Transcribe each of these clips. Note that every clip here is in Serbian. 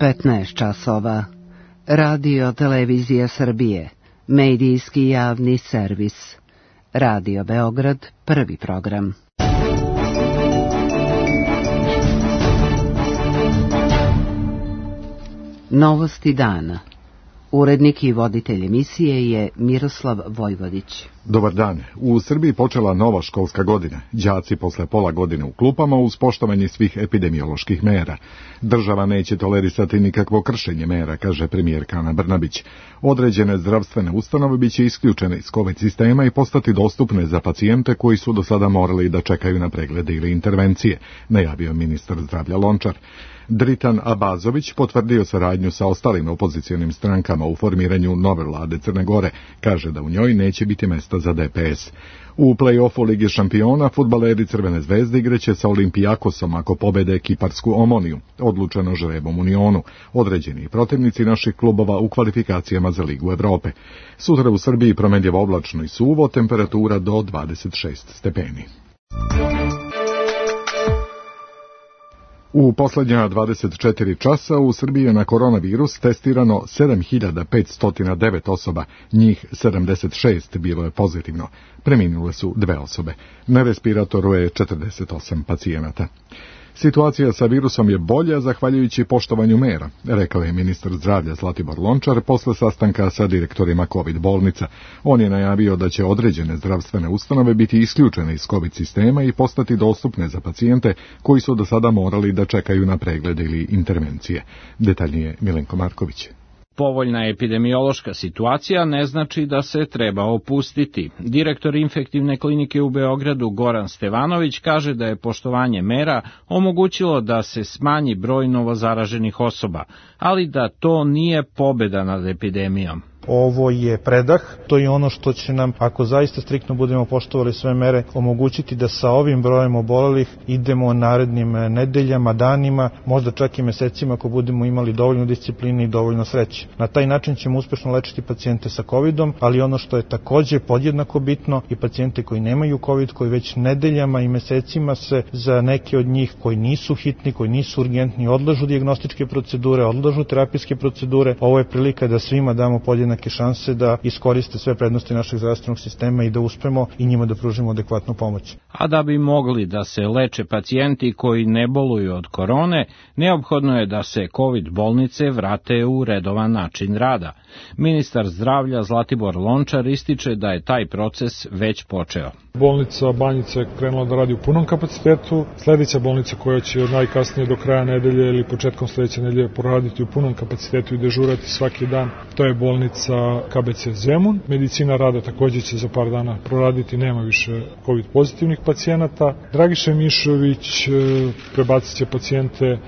15 časova. Radio Televizija Srbije, medijski javni servis. Radio Beograd, prvi program. Novosti dana. Urednik i voditelj emisije je Miroslav Vojvodić. Dobar dan. U Srbiji počela nova školska godina. Đaci posle pola godine u klupama uz poštovanje svih epidemioloških mera. Država neće tolerisati nikakvo kršenje mera, kaže premijerka Ana Brnabić. Određene zdravstvene ustanove biće isključene iz COVID sistema i postati dostupne za pacijente koji su do sada morali da čekaju na preglede ili intervencije, najavio ministar zdravlja Lončar. Dritan Abazović potvrdio saradnju sa ostalim opozicijonim strankama u formiranju nove vlade Crne Gore. Kaže da u njoj neće biti mesta za DPS. U play-offu Lige šampiona fudbaleri Crvene zvezde igraće sa Olimpijakosom ako pobede Kiparsku Omoniju, odlučeno žrebom Unionu, određeni protivnici naših klubova u kvalifikacijama za Ligu Evrope. Sutra u Srbiji promenljivo oblačno i suvo, temperatura do 26 stepeni. U posljednja 24 časa u Srbiji je na koronavirus testirano 7509 osoba, njih 76 bilo je pozitivno. Preminule su 2 osobe. Na respiratoru je 48 pacijenata. Situacija sa virusom je bolja zahvaljujući poštovanju mera, rekao je ministar zdravlja Zlatibor Lončar posle sastanka sa direktorima COVID bolnica. On je najavio da će određene zdravstvene ustanove biti isključene iz COVID sistema i postati dostupne za pacijente koji su do sada morali da čekaju na preglede ili intervencije. Detaljnije Milenko Marković. Povoljna epidemiološka situacija ne znači da se treba opustiti. Direktor infektivne klinike u Beogradu Goran Stevanović kaže da je poštovanje mera omogućilo da se smanji broj novozaraženih osoba, ali da to nije pobeda nad epidemijom. Ovo je predah, to je ono što će nam, ako zaista striktno budemo poštovali sve mere, omogućiti da sa ovim brojem obolelih idemo narednim nedeljama, danima, možda čak i mesecima ako budemo imali dovoljno discipline i dovoljno sreće. Na taj način ćemo uspešno lečiti pacijente sa COVID-om, ali ono što je takođe podjednako bitno i pacijente koji nemaju COVID, koji već nedeljama i mesecima se za neke od njih koji nisu hitni, koji nisu urgentni, odlažu dijagnostičke procedure, odlažu terapijske procedure. Ovo je prilika da svima damo podjednake šanse da iskoriste sve prednosti našeg zdravstvenog sistema i da uspemo i njima da pružimo adekvatnu pomoć. A da bi mogli da se leče pacijenti koji ne boluju od korone, neophodno je da se COVID bolnice vrate u redovan način rada. Ministar zdravlja Zlatibor Lončar ističe da je taj proces već počeo. Bolnica Banjica je krenula da radi u punom kapacitetu. Sledeća bolnica koja će od najkasnije do kraja nedelje ili početkom sledeće nedelje poraditi u punom kapacitetu i dežurati svaki dan, to je bolnica KBC Zemun. Medicina rada takođe će za par dana proraditi, nema više COVID pozitivnih pacijenata. Dragiša Mišović prebacit će pacijente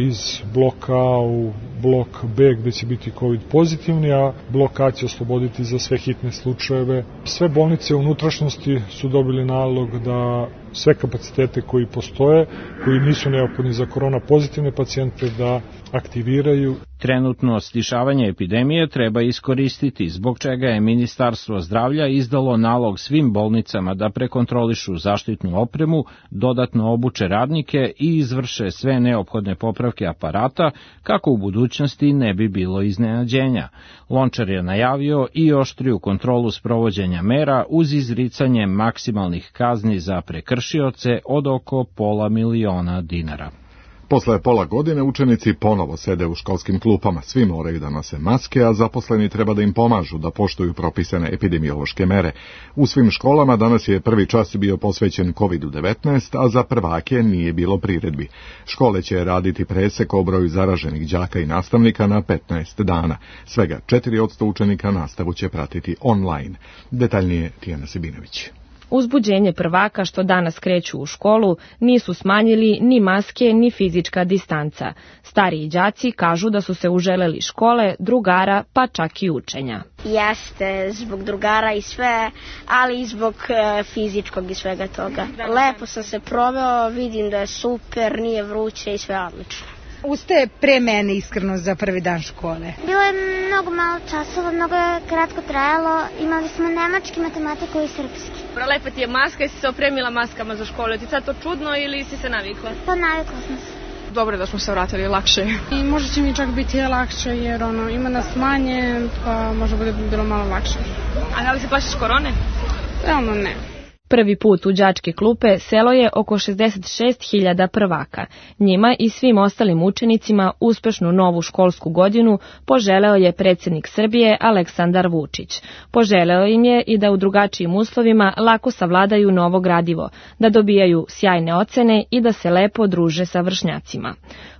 iz bloka A u blok B gde će biti COVID pozitivni, a blok A će osloboditi za sve hitne slučajeve. Sve bolnice u unutrašnjosti su dobili nalog da sve kapacitete koji postoje, koji nisu neophodni za korona pozitivne pacijente, da aktiviraju. Trenutno stišavanje epidemije treba iskoristiti, zbog čega je Ministarstvo zdravlja izdalo nalog svim bolnicama da prekontrolišu zaštitnu opremu, dodatno obuče radnike i izvrše sve neophodne popravke aparata, kako u budućnosti ne bi bilo iznenađenja. Lončar je najavio i oštriju kontrolu sprovođenja mera uz izricanje maksimalnih kazni za prekršioce od oko $500.000 dinara. Posle pola godine učenici ponovo sede u školskim klupama. Svi moraju da nose maske, a zaposleni treba da im pomažu da poštuju propisane epidemiološke mere. U svim školama danas je prvi čas bio posvećen COVID-19, a za prvake nije bilo priredbi. Škole će raditi presek o broju zaraženih đaka i nastavnika na 15 dana. Svega 4% učenika nastavu će pratiti online. Detaljnije Tijana Sebinović. Uzbuđenje prvaka što danas kreću u školu nisu smanjili ni maske ni fizička distanca. Stariji đaci kažu da su se uželeli škole, drugara pa čak i učenja. Jeste, zbog drugara i sve, ali i zbog fizičkog i svega toga. Lepo sam se proveo, vidim da je super, nije vruće i sve odlično. Ustaje pre mene iskreno za prvi dan škole. Bilo je mnogo malo časova, mnogo je kratko trajalo, imali smo nemački, matematiku i srpski. Lepa ti je maska, jesi se opremila maskama za školu, ti sad to čudno ili si se navikla? Pa navikla sam se. Dobro je da smo se vratili lakše. I možda će mi čak biti lakše jer ima nas manje, pa možda bude bilo malo lakše. A da li se plašiš korone? Realno ne. Prvi put u đačke klupe selo je oko 66.000 prvaka. Njima i svim ostalim učenicima uspešnu novu školsku godinu poželeo je predsjednik Srbije Aleksandar Vučić. Poželeo im je i da u drugačijim uslovima lako savladaju novo gradivo, da dobijaju sjajne ocene i da se lepo druže sa vršnjacima.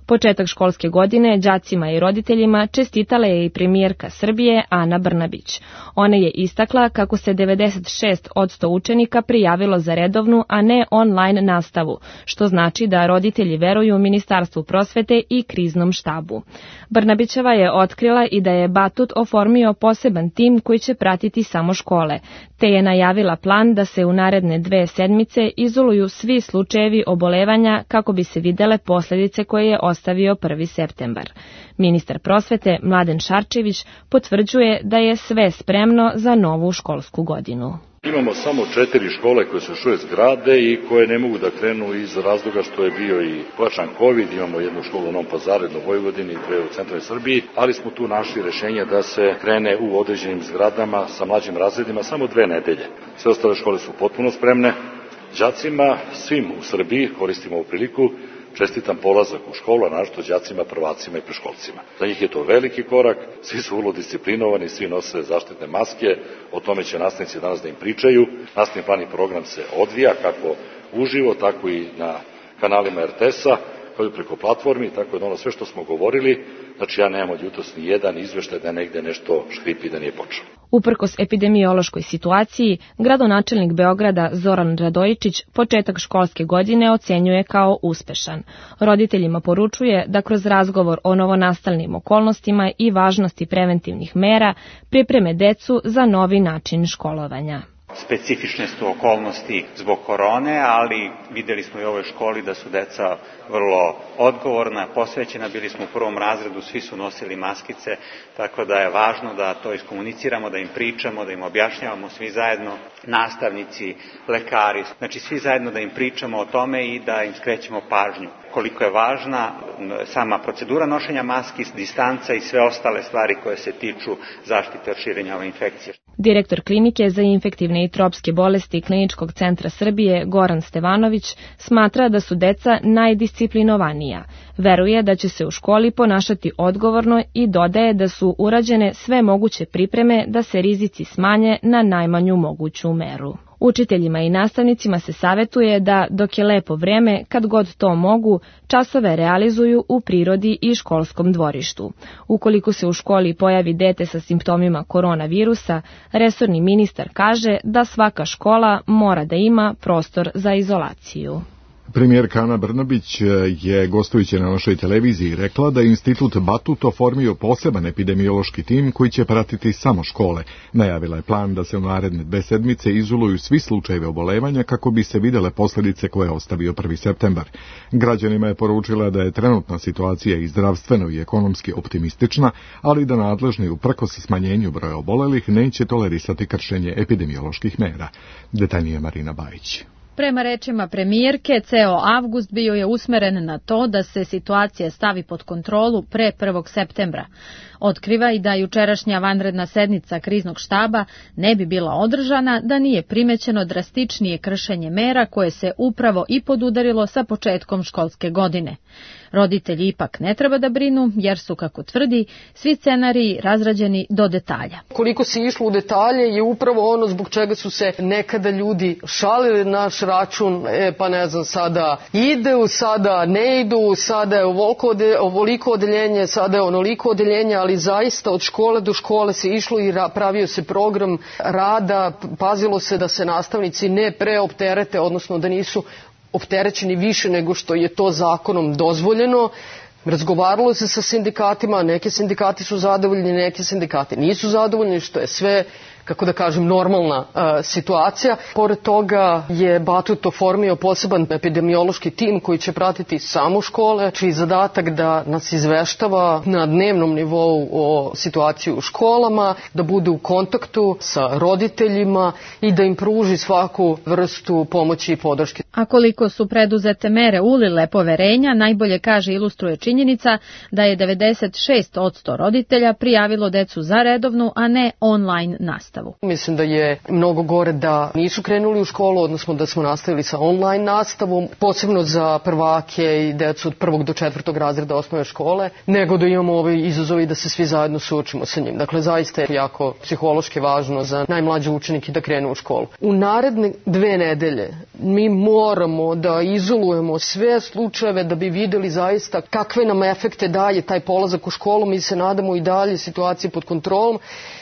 Početak školske godine đacima i roditeljima čestitala je i premijerka Srbije Ana Brnabić. Ona je istakla kako se 96% učenika prijavilo za redovnu, a ne online nastavu, što znači da roditelji veruju Ministarstvu prosvete i kriznom štabu. Brnabićeva je otkrila i da je Batut oformio poseban tim koji će pratiti samo škole, te je najavila plan da se u naredne 2 sedmice izoluju svi slučajevi obolevanja kako bi se videle posljedice koje je ostavio 1. septembar. Ministar prosvete Mladen Šarčević potvrđuje da je sve spremno za novu školsku godinu. Imamo samo 4 škole koje se još uvijek grade i koje ne mogu da krenu iz razloga što je bio i pojačan COVID. Imamo jednu školu u Novom Pazaru, jednu u Vojvodini, 2 u centralnoj Srbiji, ali smo tu našli rešenje da se krene u određenim zgradama sa mlađim razredima samo 2 nedelje. Sve ostale škole su potpuno spremne. Đacima, svim u Srbiji, koristimo ovu priliku, čestitam polazak u školu, a naročito đacima, prvacima i preškolcima. Za njih je to veliki korak, svi su vrlo disciplinovani, svi nose zaštitne maske, o tome će nastavnici danas da im pričaju. Nastavni plan i program se odvija kako uživo, tako i na kanalima RTS-a, kao i preko platformi, tako da sve što smo govorili, znači ja nemam od jutros ni jedan izveštaj da negde nešto škripi da nije počelo. Uprkos epidemiološkoj situaciji, gradonačelnik Beograda Zoran Radojičić početak školske godine ocenjuje kao uspešan. Roditeljima poručuje da kroz razgovor o novonastalnim okolnostima i važnosti preventivnih mera pripreme decu za novi način školovanja. Specifične su okolnosti zbog korone, ali videli smo i u ovoj školi da su deca vrlo odgovorna, posvećena, bili smo u 1. razredu, svi su nosili maskice, tako da je važno da to iskomuniciramo, da im pričamo, da im objašnjavamo svi zajedno, nastavnici, lekari, znači svi zajedno da im pričamo o tome i da im skrećemo pažnju. Koliko je važna sama procedura nošenja maski, distanca i sve ostale stvari koje se tiču zaštite od širenja ove infekcije. Direktor klinike za infektivne i tropske bolesti Kliničkog centra Srbije Goran Stevanović smatra da su deca najdisciplinovanija. Veruje da će se u školi ponašati odgovorno i dodaje da su urađene sve moguće pripreme da se rizici smanje na najmanju moguću meru. Učiteljima i nastavnicima se savetuje da, dok je lepo vreme, kad god to mogu, časove realizuju u prirodi i školskom dvorištu. Ukoliko se u školi pojavi dete sa simptomima koronavirusa, resorni ministar kaže da svaka škola mora da ima prostor za izolaciju. Premijerka Ana Brnabić je gostujući na našoj televiziji rekla da je Institut Batut oformio poseban epidemiološki tim koji će pratiti samo škole. Najavila je plan da se u naredne 2 sedmice izoluju svi slučajevi obolevanja kako bi se videle posljedice koje je ostavio 1. septembar. Građanima je poručila da je trenutna situacija i zdravstveno i ekonomski optimistična, ali da nadležni uprkos smanjenju broja obolelih neće tolerisati kršenje epidemioloških mera. Detaljnije Marina Bajić. Prema rečima premijerke, ceo avgust bio je usmeren na to da se situacija stavi pod kontrolu pre 1. septembra. Otkriva i da jučerašnja vanredna sednica kriznog štaba ne bi bila održana da nije primećeno drastičnije kršenje mera koje se upravo i podudarilo sa početkom školske godine. Roditelji ipak ne treba da brinu jer su, kako tvrdi, svi scenariji razrađeni do detalja. Koliko se išlo u detalje je upravo ono zbog čega su se nekada ljudi šalili naš račun, pa ne znam, sada idu, sada ne idu, sada je ovoliko odeljenje, sada je onoliko odeljenje, ali zaista od škole do škole se išlo i pravio se program rada, pazilo se da se nastavnici ne preopterete, odnosno da nisu opterećeni više nego što je to zakonom dozvoljeno. Razgovaralo se sa sindikatima, neki sindikati su zadovoljni, neki sindikati nisu zadovoljni, što je sve kako da kažem, normalna situacija. Pored toga je Batut oformio poseban epidemiološki tim koji će pratiti samo škole, čiji zadatak da nas izveštava na dnevnom nivou o situaciji u školama, da bude u kontaktu sa roditeljima i da im pruži svaku vrstu pomoći i podrške. A koliko su preduzete mere ulile poverenja, najbolje kaže ilustruje činjenica da je 96% roditelja prijavilo decu za redovnu, a ne online nastavu. Mislim da je mnogo gore da nisu krenuli u školu, odnosno da smo nastavili sa online nastavom, posebno za prvake i decu od 1. do 4. razreda osnovne škole, nego da imamo ovaj izazovi da se svi zajedno suočimo sa njim. Dakle, zaista je jako psihološki važno za najmlađe učenike da krenu u školu. U naredne 2 nedelje mi moramo da izolujemo sve slučajeve da bi videli zaista kakve nam efekte daje taj polazak u školu. Mi se nadamo i dalje situacije pod kontrolom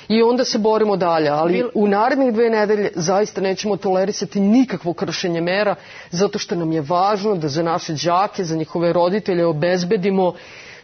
i onda se borimo dalje, ali u narednih 2 nedelje zaista nećemo tolerisati nikakvo kršenje mera, zato što nam je važno da za naše đake, za njihove roditelje obezbedimo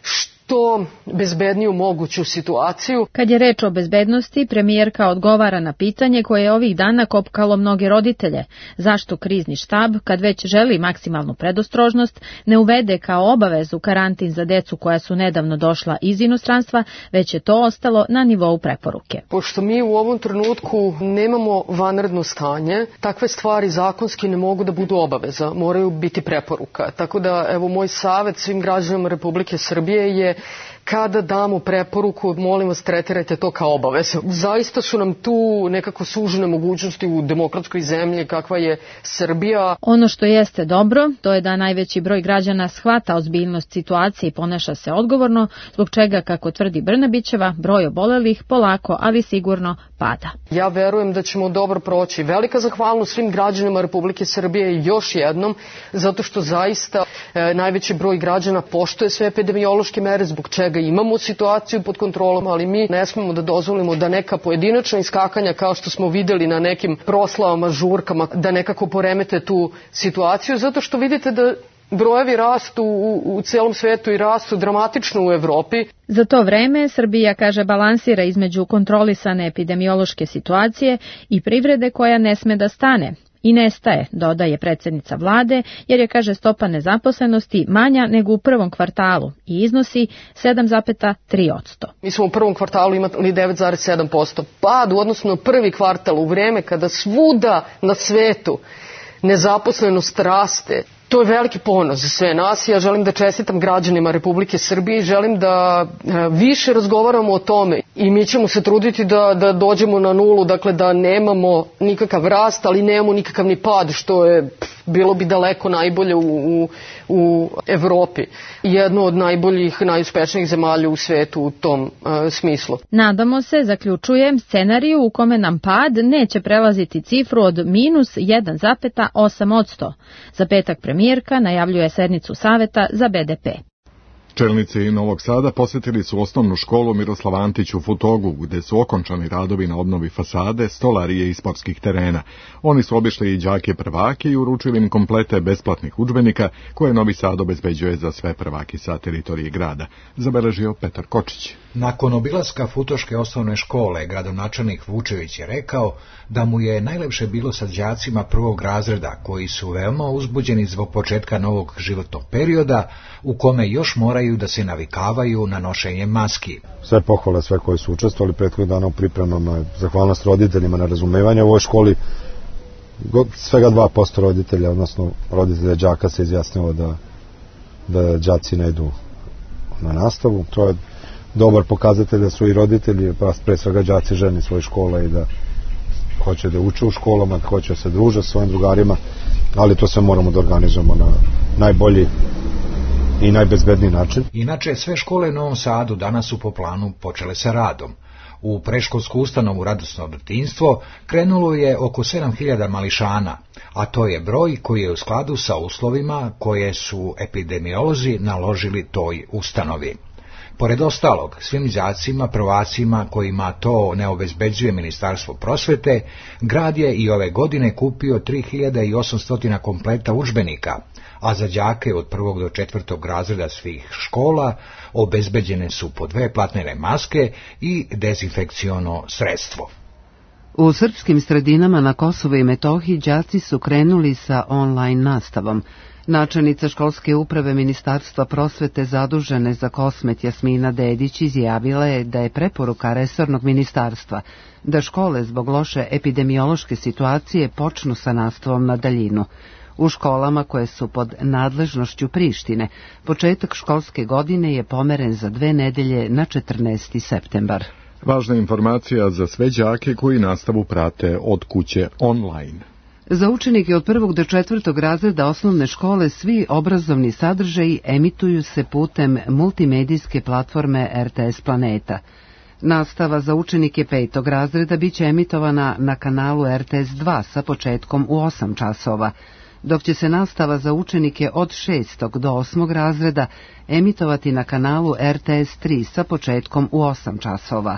što bezbedniju moguću situaciju. Kad je reč o bezbednosti, premijerka odgovara na pitanje koje je ovih dana kopkalo mnoge roditelje. Zašto krizni štab, kad već želi maksimalnu predostrožnost, ne uvede kao obavezu karantin za decu koja su nedavno došla iz inostranstva, već je to ostalo na nivou preporuke. Pošto mi u ovom trenutku nemamo vanredno stanje, takve stvari zakonski ne mogu da budu obaveza, moraju biti preporuka. Tako da, evo, moj savet svim građanima Republike Srbije je kada damo preporuku, molim vas, tretirajte to kao obavezu. Zaista su nam tu nekako sužene mogućnosti u demokratskoj zemlji kakva je Srbija. Ono što jeste dobro, to je da najveći broj građana shvata ozbiljnost situacije i ponaša se odgovorno, zbog čega, kako tvrdi Brnabićeva, broj obolelih polako, ali sigurno pada. Ja verujem da ćemo dobro proći. Velika zahvalnost svim građanima Republike Srbije još jednom, zato što zaista najveći broj građana poštuje sve epidemiološke mere, zbog čega imamo situaciju pod kontrolom, ali mi ne smemo da dozvolimo da neka pojedinačna iskakanja, kao što smo videli na nekim proslavama, žurkama, da nekako poremete tu situaciju, zato što vidite da brojevi rastu u celom svetu i rastu dramatično u Evropi. Za to vreme Srbija, kaže, balansira između kontrolisane epidemiološke situacije i privrede koja ne sme da stane. I nestaje, dodaje predsjednica vlade, jer je, kaže, stopa nezaposlenosti manja nego u prvom kvartalu i iznosi 7,3%. Mi smo u prvom kvartalu imali 9,7% pad u odnosu na prvi kvartal, u vreme kada svuda na svetu nezaposlenost raste. To je veliki ponos za sve nas. Ja želim da čestitam građanima Republike Srbije i želim da više razgovaramo o tome i mi ćemo se truditi da dođemo na nulu, dakle da nemamo nikakav rast, ali nemamo nikakav ni pad, što je bilo bi daleko najbolje u Evropi. Jedno od najboljih, najuspešnijih zemalja u svetu u tom smislu. Nadamo se, zaključujem, scenariju u kome nam pad neće prelaziti cifru od minus 1,8%. Za petak premijerka najavljuje sednicu saveta za BDP. Čelnici Novog Sada posjetili su osnovnu školu Miroslav Antić u Futogu, gde su okončani radovi na obnovi fasade, stolarije i sportskih terena. Oni su obišli i đake prvake i uručili im komplete besplatnih udžbenika koje Novi Sad obezbeđuje za sve prvaki sa teritorije grada, zabeležio Petar Kočić. Nakon obilaska Futoške osnovne škole, gradonačelnik Vučević je rekao da mu je najlepše bilo sa đacima prvog razreda, koji su veoma uzbuđeni zbog početka novog životnog perioda, u kome još moraju da se navikavaju na nošenje maski. Sve pohvale, sve koji su učestvovali prethodnih dana u pripremama, zahvalnost roditeljima na razumevanje. U ovoj školi svega 2% roditelja, odnosno roditelja đaka se izjasnilo da đaci ne idu na nastavu. To je dobar pokazatelj da su i roditelji, pa pre svega đaci ženi svoje škole i da hoće da uče u školama, da hoće da se druže sa svojim drugarima, ali to sve moramo da organizujemo na najbolji i najbezbedniji način. Inače, sve škole u Novom Sadu danas su po planu počele sa radom. U predškolsku ustanovu Radosno detinjstvo krenulo je oko 7.000 mališana, a to je broj koji je u skladu sa uslovima koje su epidemiolozi naložili toj ustanovi. Pored ostalog, svim đacima, prvacima kojima to ne obezbeđuje Ministarstvo prosvete, grad je i ove godine kupio 3.800 kompleta udžbenika, a za đake od 1. do 4. razreda svih škola obezbeđene su po 2 platnene maske i dezinfekciono sredstvo. U srpskim sredinama na Kosovu i Metohiji đaci su krenuli sa online nastavom. Načelnica školske uprave Ministarstva prosvete zadužene za Kosmet Jasmina Dedić izjavila je da je preporuka resornog ministarstva da škole zbog loše epidemiološke situacije počnu sa nastavom na daljinu. U školama koje su pod nadležnošću Prištine, početak školske godine je pomeren za 2 nedelje na 14. septembar. Važna informacija za sve đake koji nastavu prate od kuće online. Za učenike od 1. do 4. razreda osnovne škole svi obrazovni sadržaji emituju se putem multimedijske platforme RTS Planeta. Nastava za učenike 5. razreda biće emitovana na kanalu RTS 2 sa početkom u 8 časova, dok će se nastava za učenike od 6. do 8. razreda emitovati na kanalu RTS 3 sa početkom u 8 časova.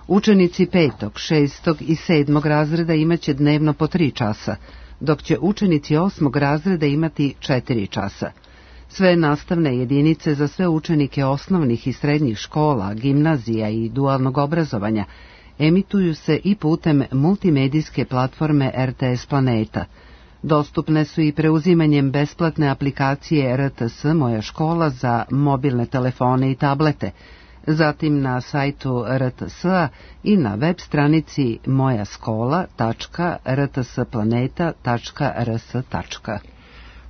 Učenici 5., 6. i 7. razreda imaće dnevno po 3 časa, dok će učenici 8. razreda imati 4 časa. Sve nastavne jedinice za sve učenike osnovnih i srednjih škola, gimnazija i dualnog obrazovanja emituju se i putem multimedijske platforme RTS Planeta. Dostupne su i preuzimanjem besplatne aplikacije RTS Moja škola za mobilne telefone i tablete, zatim na sajtu RTS-a i na web stranici mojaskola.rtsplaneta.rs.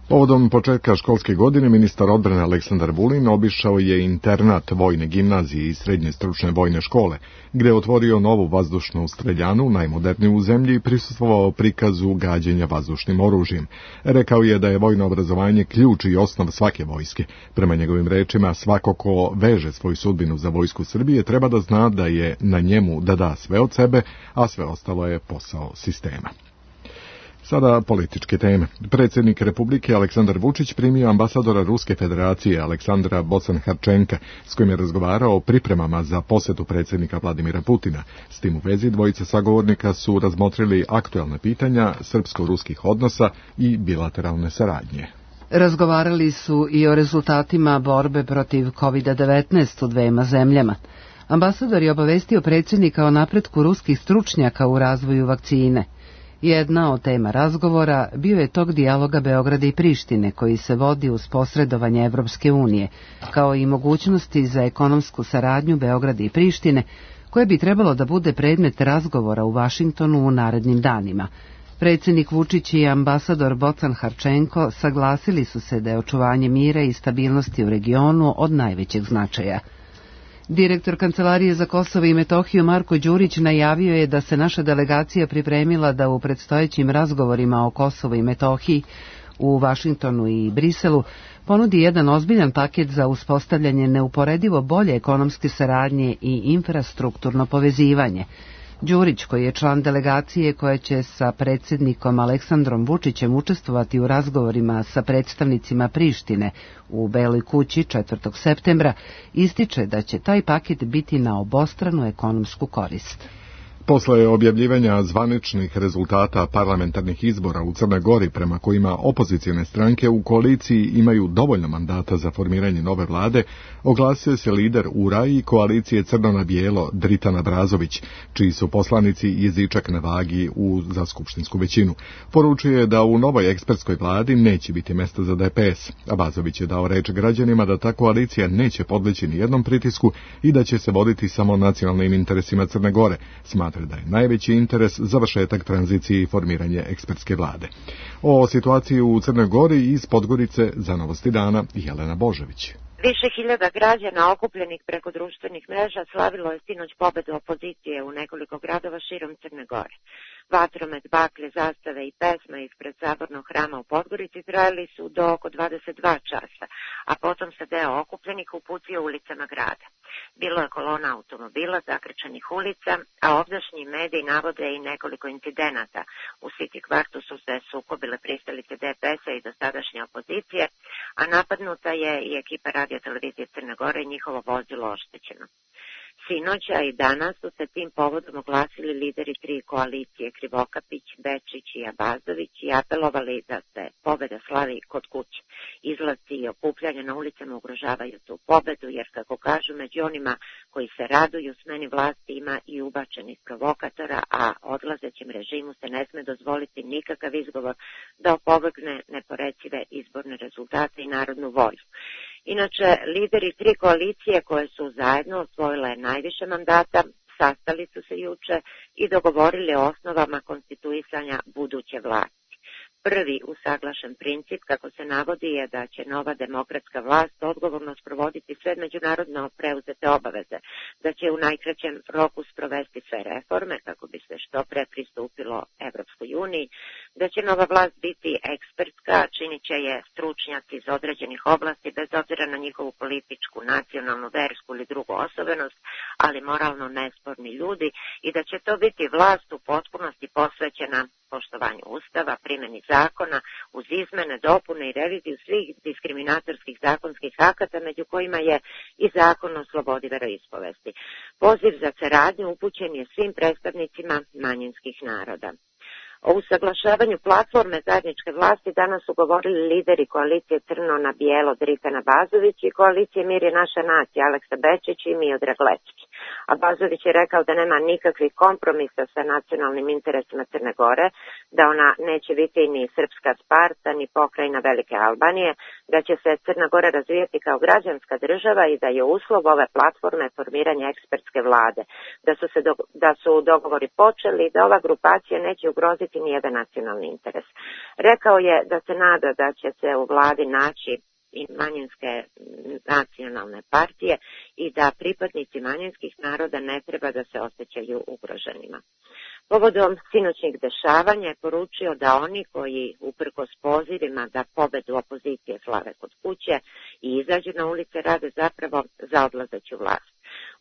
Povodom početka školske godine ministar odbrane Aleksandar Vulin obišao je internat vojne gimnazije i srednje stručne vojne škole, gde je otvorio novu vazdušnu streljanu, najmoderniju u zemlji, i prisustvovao prikazu gađenja vazdušnim oružjem. Rekao je da je vojno obrazovanje ključ i osnov svake vojske. Prema njegovim rečima, svako ko veže svoju sudbinu za vojsku Srbije treba da zna da je na njemu da da sve od sebe, a sve ostalo je posao sistema. Sada političke teme. Predsjednik Republike Aleksandar Vučić primio ambasadora Ruske federacije Aleksandra Bocan-Harčenka, s kojim je razgovarao o pripremama za posjetu predsjednika Vladimira Putina. S tim u vezi dvojica sagovornika su razmotrili aktualna pitanja srpsko-ruskih odnosa i bilateralne saradnje. Razgovarali su i o rezultatima borbe protiv COVID-19 u dvema zemljama. Ambasador je obavestio predsjednika o napretku ruskih stručnjaka u razvoju vakcine. Jedna od tema razgovora bio je tok dijaloga Beograda i Prištine koji se vodi uz posredovanje Evropske unije, kao i mogućnosti za ekonomsku saradnju Beograda i Prištine, koje bi trebalo da bude predmet razgovora u Vašingtonu u narednim danima. Predsjednik Vučić i ambasador Bocan-Harčenko saglasili su se da je očuvanje mira i stabilnosti u regionu od najvećeg značaja. Direktor Kancelarije za Kosovo i Metohiju Marko Đurić najavio je da se naša delegacija pripremila da u predstojećim razgovorima o Kosovu i Metohiji u Vašingtonu i Briselu ponudi jedan ozbiljan paket za uspostavljanje neuporedivo bolje ekonomske saradnje i infrastrukturno povezivanje. Đurić, koji je član delegacije koja će sa predsjednikom Aleksandrom Vučićem učestvovati u razgovorima sa predstavnicima Prištine u Beloj kući 4. septembra, ističe da će taj paket biti na obostranu ekonomsku korist. Posle objavljivanja zvaničnih rezultata parlamentarnih izbora u Crnoj Gori, prema kojima opozicijne stranke u koaliciji imaju dovoljno mandata za formiranje nove vlade, oglasio se lider URA i koalicije Crno na bijelo Dritan Abrazović, čiji su poslanici jezičak na vagi za skupštinsku većinu. Poručuje je da u novoj ekspertskoj vladi neće biti mesta za DPS. Abrazović je dao reč građanima da ta koalicija neće podleći ni jednom pritisku i da će se voditi samo nacionalnim interesima Crne Gore. Smatra da je najveći interes završetak tranzicije i formiranje ekspertske vlade. O situaciji u Crnoj Gori iz Podgorice za Novosti dana Jelena Božević. Više hiljada građana okupljenih preko društvenih mreža slavilo je sinoć pobedu opozicije u nekoliko gradova širom Crne Gore. Vatromet, baklje, zastave i pesma ispred sabornog hrama u Podgorici trajali su do oko 22 časa, a potom se deo okupljenih uputio ulicama grada. Bilo je kolona automobila, zakrčenih ulica, a ovdašnji mediji navode i nekoliko incidenata. U City kvartu su se sukobile pristalice DPS-a i dosadašnje opozicije, a napadnuta je i ekipa radio televizije Crne Gore i njihovo vozilo oštećeno. Sinoća i danas su se tim povodom oglasili lideri 3 koalicije Krivokapić, Bečić i Abazović i apelovali da se pobeda slavi kod kuće. Izlasci i okupljanja na ulicama ugrožavaju tu pobedu, jer kako kažu, među onima koji se raduju smeni vlasti ima i ubačenih provokatora, a odlazećem režimu se ne sme dozvoliti nikakav izgovor da opovrgne neporecive izborne rezultate i narodnu volju. Inače, lideri 3 koalicije koje su zajedno osvojile najviše mandata sastali su se juče i dogovorili o osnovama konstituisanja buduće vlasti. Prvi usaglašen princip, kako se navodi, je da će nova demokratska vlast odgovorno sprovoditi sve međunarodno preuzete obaveze, da će u najkraćem roku sprovesti sve reforme kako bi se što pre pristupilo Evropskoj uniji, da će nova vlast biti ekspertska, činit će je stručnjaci iz određenih oblasti bez obzira na njihovu političku, nacionalnu, versku ili drugu osobenost, ali moralno nesporni ljudi, i da će to biti vlast u potpunosti posvećena poštovanju Ustava, primjeni zakona, uz izmene, dopune i reviziju svih diskriminatorskih zakonskih akata, među kojima je i zakon o slobodi veroispovesti. Poziv za saradnju upućen je svim predstavnicima manjinskih naroda. O usaglašavanju platforme zajedničke vlasti danas su govorili lideri koalicije Crno na bijelo Drikan Abazović i koalicije Mir je naša nacija Aleksa Bečić i Miodrag Lečki. Abazović je rekao da nema nikakvih kompromisa sa nacionalnim interesima Crne Gore, da ona neće biti ni srpska Sparta, ni pokrajina Velike Albanije, da će se Crna Gora razvijati kao građanska država i da je uslov ove platforme formiranje ekspertske vlade, da su dogovori počeli i da ova grupacija neće ugroziti nijedan nacionalni interes. Rekao je da se nada da će se u vladi naći i manjinske nacionalne partije i da pripadnici manjinskih naroda ne treba da se osjećaju ugroženima. Povodom sinoćnih dešavanja je poručio da oni koji uprkos pozivima da pobedu opozicije slave kod kuće i izađu na ulice rade zapravo za odlazeću vlast.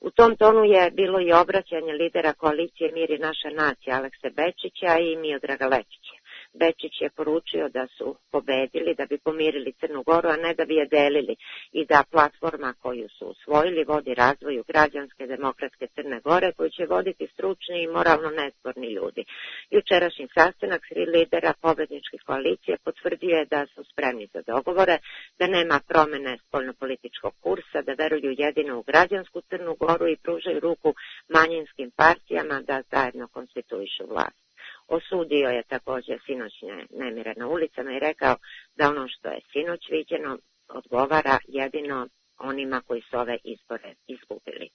U tom tonu je bilo i obraćanje lidera koalicije Mir je naša nacija Alekse Bečića i Miodraga Lečića. Bečić je poručio da su pobedili da bi pomirili Crnu Goru, a ne da bi je delili, i da platforma koju su usvojili vodi razvoju građanske demokratske Crne Gore, koju će voditi stručni i moralno nesporni ljudi. Jučerašnji sastanak 3 lidera pobedničkih koalicije potvrdio je da su spremni za dogovore, da nema promene spoljnopolitičkog kursa, da veruju jedino u građansku Crnu Goru i pružaju ruku manjinskim partijama da zajedno konstituišu vlast. Osudio je također sinoćne nemire na ulicama i rekao da ono što je sinoć viđeno odgovara jedino onima koji su ove izbore izgubili.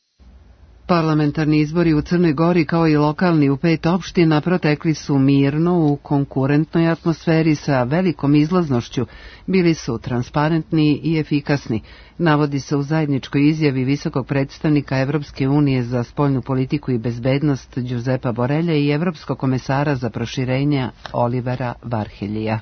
Parlamentarni izbori u Crnoj Gori kao i lokalni u 5 opština protekli su mirno u konkurentnoj atmosferi sa velikom izlaznošću, bili su transparentni i efikasni, navodi se u zajedničkoj izjavi visokog predstavnika Evropske unije za spoljnu politiku i bezbednost Giuseppa Borrella i evropskog komesara za proširenje Olivera Varheljija.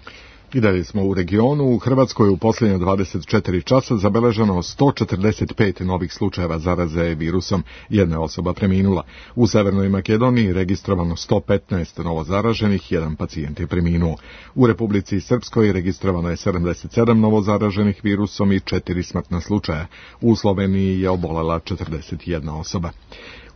I dalje smo u regionu. U Hrvatskoj u posljednje 24 časa zabeleženo 145 novih slučajeva zaraze virusom, jedna osoba preminula. U Severnoj Makedoniji registrovano 115 novozaraženih, jedan pacijent je preminuo. U Republici Srpskoj registrovano je 77 novozaraženih virusom i 4 smrtna slučaja. U Sloveniji je obolela 41 osoba.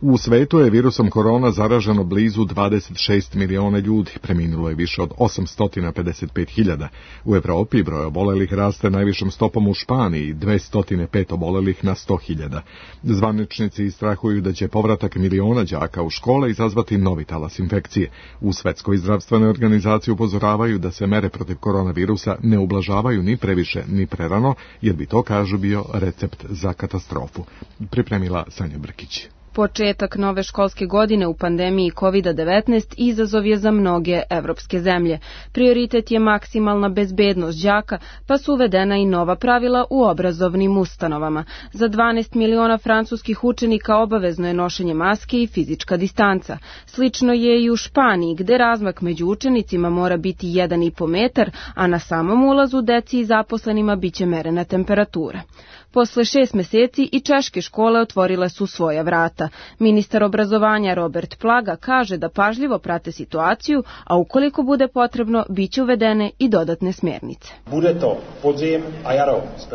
U svetu je virusom korona zaraženo blizu 26 miliona ljudi, preminulo je više od 855.000. U Evropi broj obolelih raste najvišom stopom u Španiji, 205 obolelih na 100.000. Zvaničnici strahuju da će povratak miliona đaka u škole izazvati novi talas infekcije. U Svetskoj zdravstvenoj organizaciji upozoravaju da se mere protiv koronavirusa ne ublažavaju ni previše ni prerano, jer bi to, kažu, bio recept za katastrofu. Pripremila Sanja Brkić. Početak nove školske godine u pandemiji COVID-19 izazov je za mnoge evropske zemlje. Prioritet je maksimalna bezbednost đaka, pa su uvedena i nova pravila u obrazovnim ustanovama. Za 12 miliona francuskih učenika obavezno je nošenje maske i fizička distanca. Slično je i u Španiji, gde razmak među učenicima mora biti 1,5 metar, a na samom ulazu deci i zaposlenima biće merena temperatura. Posle 6 meseci i češke škole otvorile su svoja vrata. Ministar obrazovanja Robert Plaga kaže da pažljivo prate situaciju, a ukoliko bude potrebno, biće uvedene i dodatne smjernice.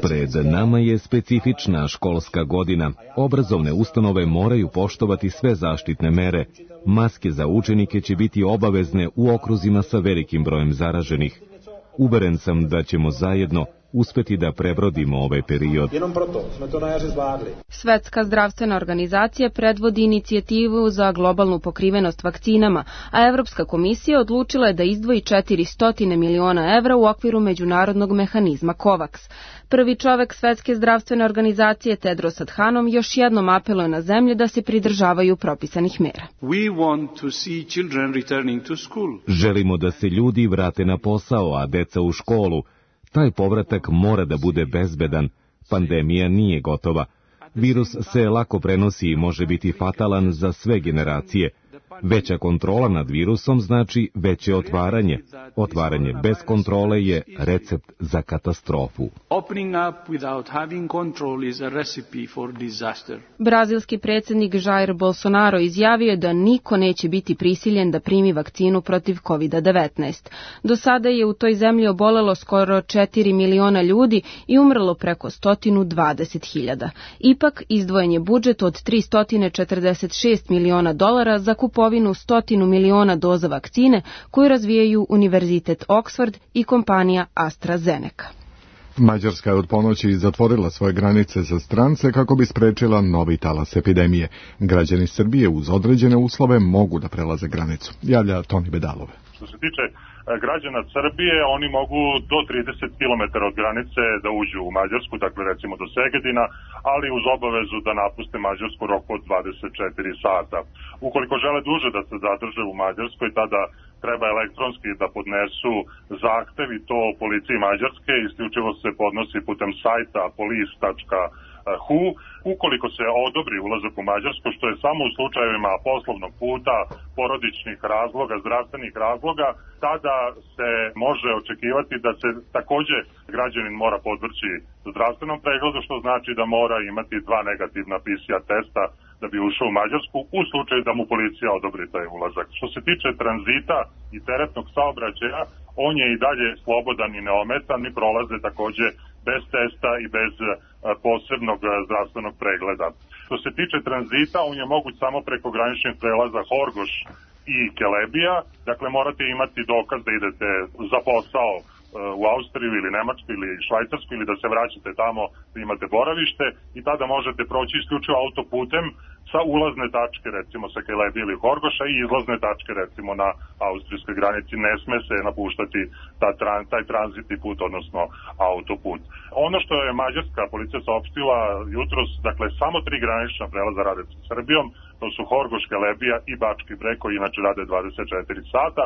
Pred nama je specifična školska godina. Obrazovne ustanove moraju poštovati sve zaštitne mere. Maske za učenike će biti obavezne u okruzima sa velikim brojem zaraženih. Uveren sam da ćemo zajedno uspeti da prebrodimo ovaj period. Svetska zdravstvena organizacija predvodi inicijativu za globalnu pokrivenost vakcinama, a Evropska komisija odlučila je da izdvoji 400 miliona evra u okviru međunarodnog mehanizma COVAX. Prvi čovek Svetske zdravstvene organizacije Tedros Adhanom još jednom apeluje na zemlje da se pridržavaju propisanih mera. Želimo da se ljudi vrate na posao, a deca u školu. Taj povratak mora da bude bezbedan. Pandemija nije gotova. Virus se lako prenosi i može biti fatalan za sve generacije. Veća kontrola nad virusom znači veće otvaranje. Otvaranje bez kontrole je recept za katastrofu. Brazilski predsjednik Jair Bolsonaro izjavio je da niko neće biti prisiljen da primi vakcinu protiv COVID-19. Do sada je u toj zemlji obolelo skoro 4 miliona ljudi i umrlo preko 120.000. Ipak, izdvojen je budžet od $346 miliona za kupovinu 100 miliona doza vakcine koju razvijaju Univerzitet Oxford i kompanija AstraZeneca. Mađarska je od ponoći zatvorila svoje granice za strance kako bi sprečila novi talas epidemije. Građani Srbije uz određene uslove mogu da prelaze granicu. Javlja Toni Bedalove. Što se tiče građana Srbije, oni mogu do 30 km od granice da uđu u Mađarsku, dakle recimo do Segedina, ali uz obavezu da napuste Mađarsku roku od 24 sata. Ukoliko žele duže da se zadrže u Mađarskoj, tada treba elektronski da podnesu zahtev i to policiji Mađarske, isključivo se podnosi putem sajta police.hu. Ukoliko se odobri ulazak u Mađarsku, što je samo u slučajevima poslovnog puta, porodičnih razloga, zdravstvenih razloga, tada se može očekivati da se takođe građanin mora podvrći zdravstvenom pregledu, što znači da mora imati 2 negativna PCR testa da bi ušao u Mađarsku u slučaju da mu policija odobri taj ulazak. Što se tiče tranzita i teretnog saobraćaja, on je i dalje slobodan i neometan i prolaze takođe bez testa i bez posebnog zdravstvenog pregleda. Što se tiče tranzita, on je moguć samo preko graničnih prelaza Horgoš i Kelebija, dakle morate imati dokaz da idete za posao u Austriju ili Nemačku ili Švajcarsku ili da se vraćate tamo da imate boravište i tada možete proći isključivo autoputem sa ulazne tačke recimo sa Kelebija ili Horgoša i izlazne tačke recimo na austrijskoj granici. Ne sme se napuštati taj tranzitni put, odnosno autoput. Ono što je mađarska policija saopštila jutros, dakle samo 3 granična prelaza rade sa Srbijom, to su Horgoš, Kelebija i Bački Breg koji inače rade 24 sata.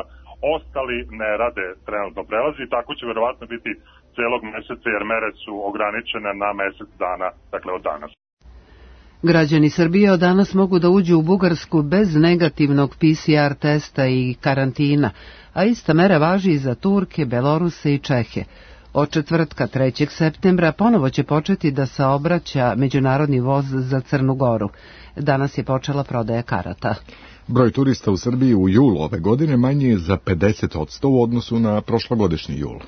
Ostali ne rade trenutno prelazi i tako će verovatno biti celog meseca jer mere su ograničene na mesec dana, dakle od danas. Građani Srbije od danas mogu da uđu u Bugarsku bez negativnog PCR testa i karantina, a ista mera važi i za Turke, Beloruse i Čehe. Od četvrtka 3. septembra ponovo će početi da saobraća međunarodni voz za Crnu Goru. Danas je počela prodaja karata. Broj turista u Srbiji u julu ove godine manji je za 50% u odnosu na prošlogodišnji jul.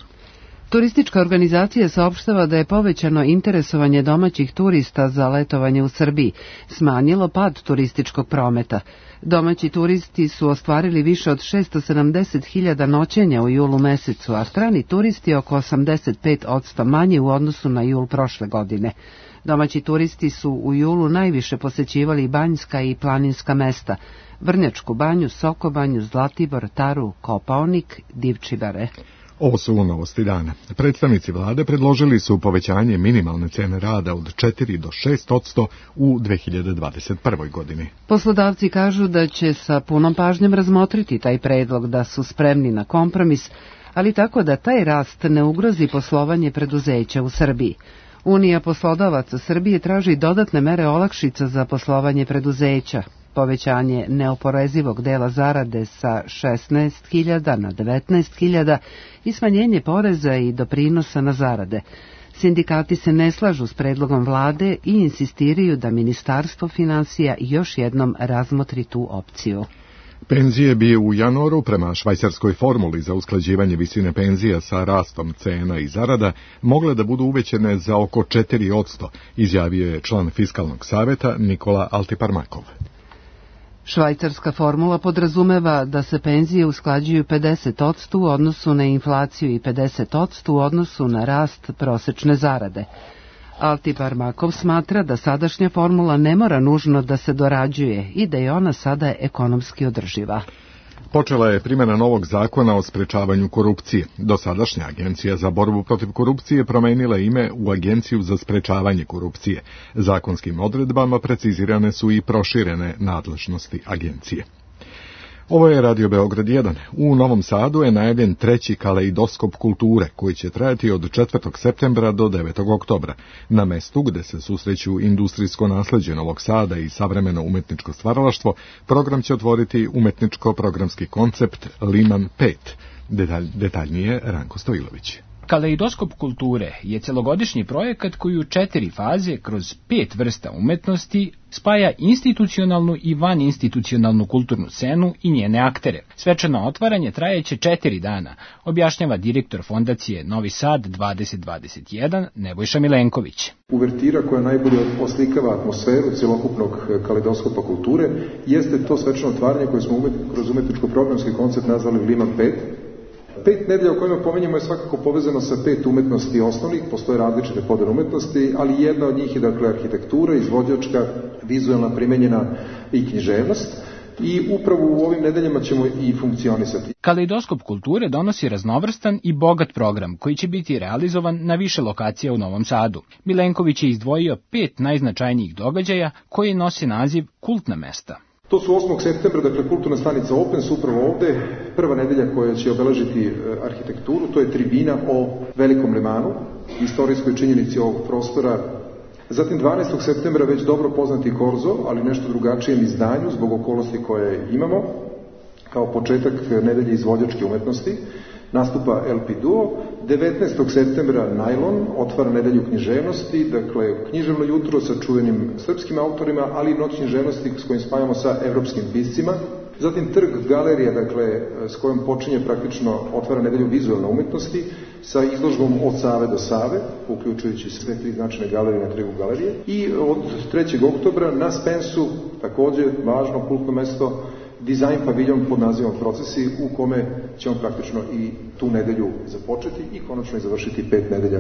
Turistička organizacija saopštava da je povećano interesovanje domaćih turista za letovanje u Srbiji, smanjilo pad turističkog prometa. Domaći turisti su ostvarili više od 670.000 noćenja u julu mesecu, a strani turisti oko 85% manje u odnosu na jul prošle godine. Domaći turisti su u julu najviše posećivali banjska i planinska mesta, Vrnjačku banju, Sokobanju, Zlatibor, Taru, Kopaonik, Divčibare. Ovo su novosti dana. Predstavnici vlade predložili su povećanje minimalne cene rada od 4 do 6% u 2021. godini. Poslodavci kažu da će sa punom pažnjom razmotriti taj predlog, da su spremni na kompromis, ali tako da taj rast ne ugrozi poslovanje preduzeća u Srbiji. Unija poslodavaca Srbije traži dodatne mere olakšica za poslovanje preduzeća, povećanje neoporezivog dela zarade sa 16.000 na 19.000 i smanjenje poreza i doprinosa na zarade. Sindikati se ne slažu s predlogom vlade i insistiraju da Ministarstvo finansija još jednom razmotri tu opciju. Penzije bi u januaru prema švajcarskoj formuli za usklađivanje visine penzija sa rastom cena i zarada mogle da budu uvećene za oko 4%, izjavio je član Fiskalnog saveta Nikola Altiparmakov. Švajcarska formula podrazumeva da se penzije usklađuju 50% u odnosu na inflaciju i 50% u odnosu na rast prosečne zarade. Altiparmakov smatra da sadašnja formula ne mora nužno da se dorađuje i da je ona sada ekonomski održiva. Počela je primjena novog zakona o sprečavanju korupcije. Dosadašnja Agencija za borbu protiv korupcije promenila ime u Agenciju za sprečavanje korupcije. Zakonskim odredbama precizirane su i proširene nadležnosti agencije. Ovo je Radio Beograd 1. U Novom Sadu je najavljen 3. kaleidoskop kulture, koji će trajati od 4. septembra do 9. oktobra. Na mestu gde se susreću industrijsko nasleđe Novog Sada i savremeno umetničko stvaralaštvo, program će otvoriti umetničko-programski koncept Liman 5. Detaljnije Ranko Stojilović. Kaleidoskop kulture je celogodišnji projekat koji u 4 faze kroz 5 vrsta umetnosti spaja institucionalnu i vaninstitucionalnu kulturnu scenu i njene aktere. Svečano otvaranje trajeće 4 dana, objašnjava direktor fondacije Novi Sad 2021 Nebojša Milenković. Uvertira koja najbolje oslikava atmosferu celokupnog kaleidoskopa kulture jeste to svečano otvaranje koje smo kroz umetničko-programski koncept nazvali Liman 5. 5 nedelja o kojima pominjamo je svakako povezano sa 5 umetnosti osnovnih, postoje različite podele umetnosti, ali jedna od njih je dakle arhitektura, izvođačka, vizualna, primenjena i književnost. I upravo u ovim nedeljama ćemo i funkcionisati. Kaleidoskop kulture donosi raznovrstan i bogat program koji će biti realizovan na više lokacija u Novom Sadu. Milenković je izdvojio 5 najznačajnijih događaja koji nose naziv Kultna mesta. To su 8. septembra, dakle kulturna stanica Open su upravo ovde, prva nedelja koja će obeležiti arhitekturu, to je tribina o Velikom Lemanu, istorijskoj činjenici ovog prostora. Zatim 12. septembra već dobro poznati Korzo, ali nešto drugačijem izdanju zbog okolnosti koje imamo, kao početak nedelje izvođačke umetnosti. Nastupa LP Duo, 19. septembra Najlon otvara nedelju književnosti, dakle književno jutro sa čuvenim srpskim autorima, ali i noć književnosti s kojim spajamo sa evropskim piscima. Zatim Trg galerija, dakle s kojom počinje praktično otvara nedelju vizualne umetnosti sa izložbom od Save do Save, uključujući sve 3 značajne galerije na Trgu galerije. I od 3. oktobra na Spensu, takođe važno kultno mesto, dizajn paviljon pod nazivom Procesi, u kome ćemo praktično i tu nedelju započeti i konačno i završiti 5 nedelja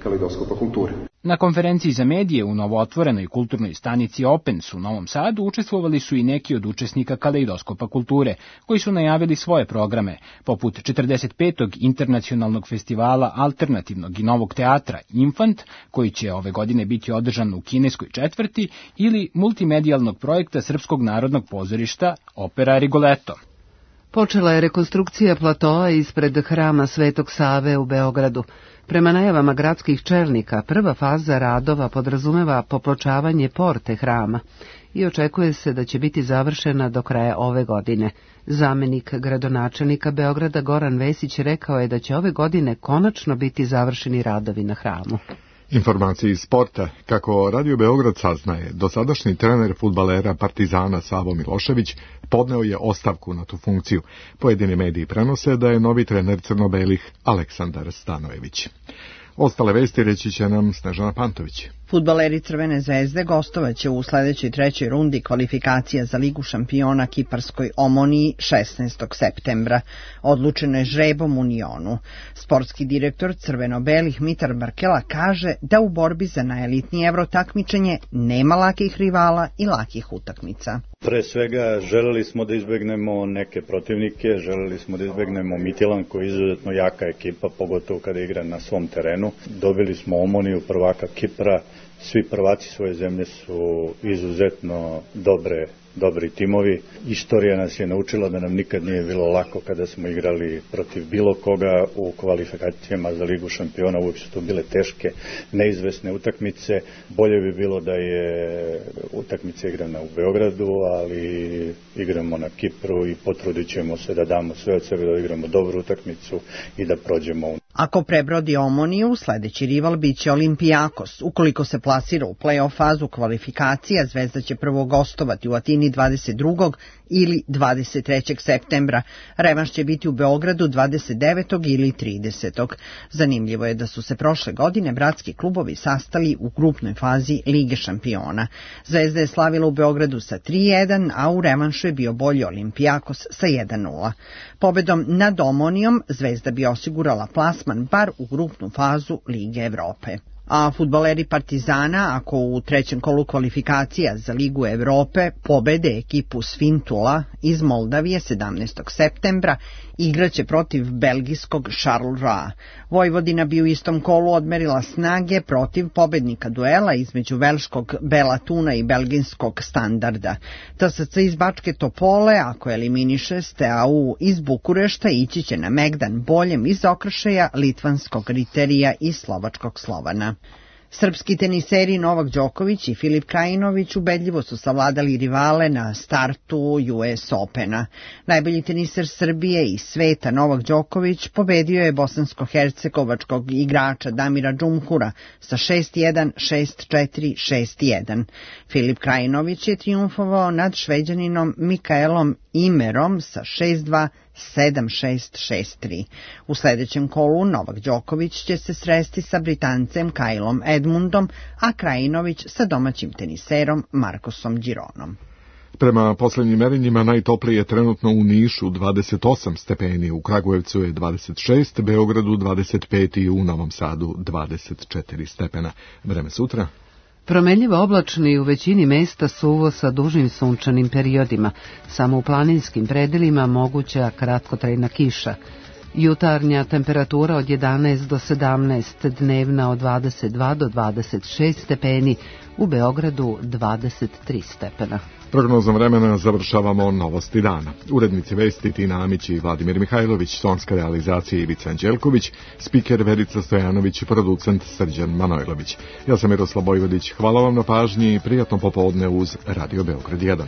kaleidoskopa kulture. Na konferenciji za medije u novootvorenoj kulturnoj stanici Opens u Novom Sadu učestvovali su i neki od učesnika kaleidoskopa kulture, koji su najavili svoje programe, poput 45. internacionalnog festivala alternativnog i novog teatra Infant, koji će ove godine biti održan u kineskoj četvrti, ili multimedijalnog projekta Srpskog narodnog pozorišta Opera Rigoletto. Počela je rekonstrukcija platoa ispred hrama Svetog Save u Beogradu. Prema najavama gradskih čelnika, prva faza radova podrazumeva popločavanje porte hrama i očekuje se da će biti završena do kraja ove godine. Zamenik gradonačelnika Beograda Goran Vesić rekao je da će ove godine konačno biti završeni radovi na hramu. Informacije iz sporta. Kako Radio Beograd saznaje, dosadašnji trener fudbalera Partizana Savo Milošević podneo je ostavku na tu funkciju. Pojedini mediji prenose da je novi trener crno-belih Aleksandar Stanojević. Ostale vesti reći će nam Snežana Pantović. Fudbaleri Crvene zvezde gostovaće u sledećoj 3. rundi kvalifikacija za Ligu šampiona kiparskoj Omoniji 16. septembra. Odlučeno je žrebom u Nionu. Sportski direktor Crveno-belih Mitar Barkela kaže da u borbi za najelitnije evro takmičenje nema lakih rivala i lakih utakmica. Pre svega želeli smo da izbegnemo neke protivnike, želeli smo da izbegnemo Mitilan koji je izuzetno jaka ekipa, pogotovo kada igra na svom terenu. Dobili smo Omoniju, prvaka Kipra, svi prvaci svoje zemlje su izuzetno dobri timovi. Istorija nas je naučila da nam nikad nije bilo lako kada smo igrali protiv bilo koga u kvalifikacijama za Ligu šampiona. Uvijek su to bile teške, neizvesne utakmice. Bolje bi bilo da je utakmica igrana u Beogradu, ali igramo na Kipru i potrudit ćemo se da damo sve od sebe da igramo dobru utakmicu i da prođemo. Ako prebrodi Omoniju, sledeći rival biće Olimpijakos. Ukoliko se plasira u play-off fazu kvalifikacija, Zvezda će prvo gostovati u Atini 22. ili 23. septembra. Revanš će biti u Beogradu 29. ili 30. Zanimljivo je da su se prošle godine bratski klubovi sastali u grupnoj fazi Lige šampiona. Zvezda je slavila u Beogradu sa 3-1, a u revanšu je bio bolji Olimpijakos sa 1-0. Pobedom nad Omonijom Zvezda bi osigurala plasman bar u grupnu fazu Lige Evrope. A fudbaleri Partizana, ako u trećem kolu kvalifikacija za Ligu Evrope pobede ekipu Sfintula iz Moldavije 17. septembra, igraće protiv belgijskog Charleroi. Vojvodina bi u istom kolu odmerila snage protiv pobednika duela između velškog Bela Tuna i belgijskog Standarda. TSC iz Bačke Topole, ako eliminiše Steaua iz Bukurešta, ići će na megdan boljem iz okršaja litvanskog Riterija i slovačkog Slovana. Srpski teniseri Novak Đoković i Filip Krajinović ubedljivo su savladali rivale na startu US Opena. Najbolji teniser Srbije i sveta Novak Đoković pobedio je bosansko-hercegovačkog igrača Damira Džumhura sa 6-1, 6-4, 6-1. Filip Krajinović je trijumfovao nad Šveđaninom Mikaelom Imerom sa 6-2, 7-6, 6-3. U sledećem kolu Novak Đoković će se sresti sa Britancem Kylom Edmundom, a Krajinović sa domaćim teniserom Marcosom Gironom. Prema poslednjim merenjima najtoplije je trenutno u Nišu 28 stepeni, u Kragujevcu je 26, Beogradu 25 i u Novom Sadu 24 stepena. Vreme sutra? Promenljivo oblačno i u većini mesta suvo sa dužim sunčanim periodima. Samo u planinskim predelima moguća kratkotrajna kiša. Jutarnja temperatura od 11 do 17, dnevna od 22 do 26 stepeni, u Beogradu 23 stepena. Prognozom vremena završavamo novosti dana. Urednici vesti Tina Amić i Vladimir Mihajlović, tonska realizacija Ivica Anđelković, spiker Verica Stojanović i producent Srđan Manojlović. Ja sam Miroslav Bojvodić, hvala vam na pažnji i prijatno popodne uz Radio Beograd 1.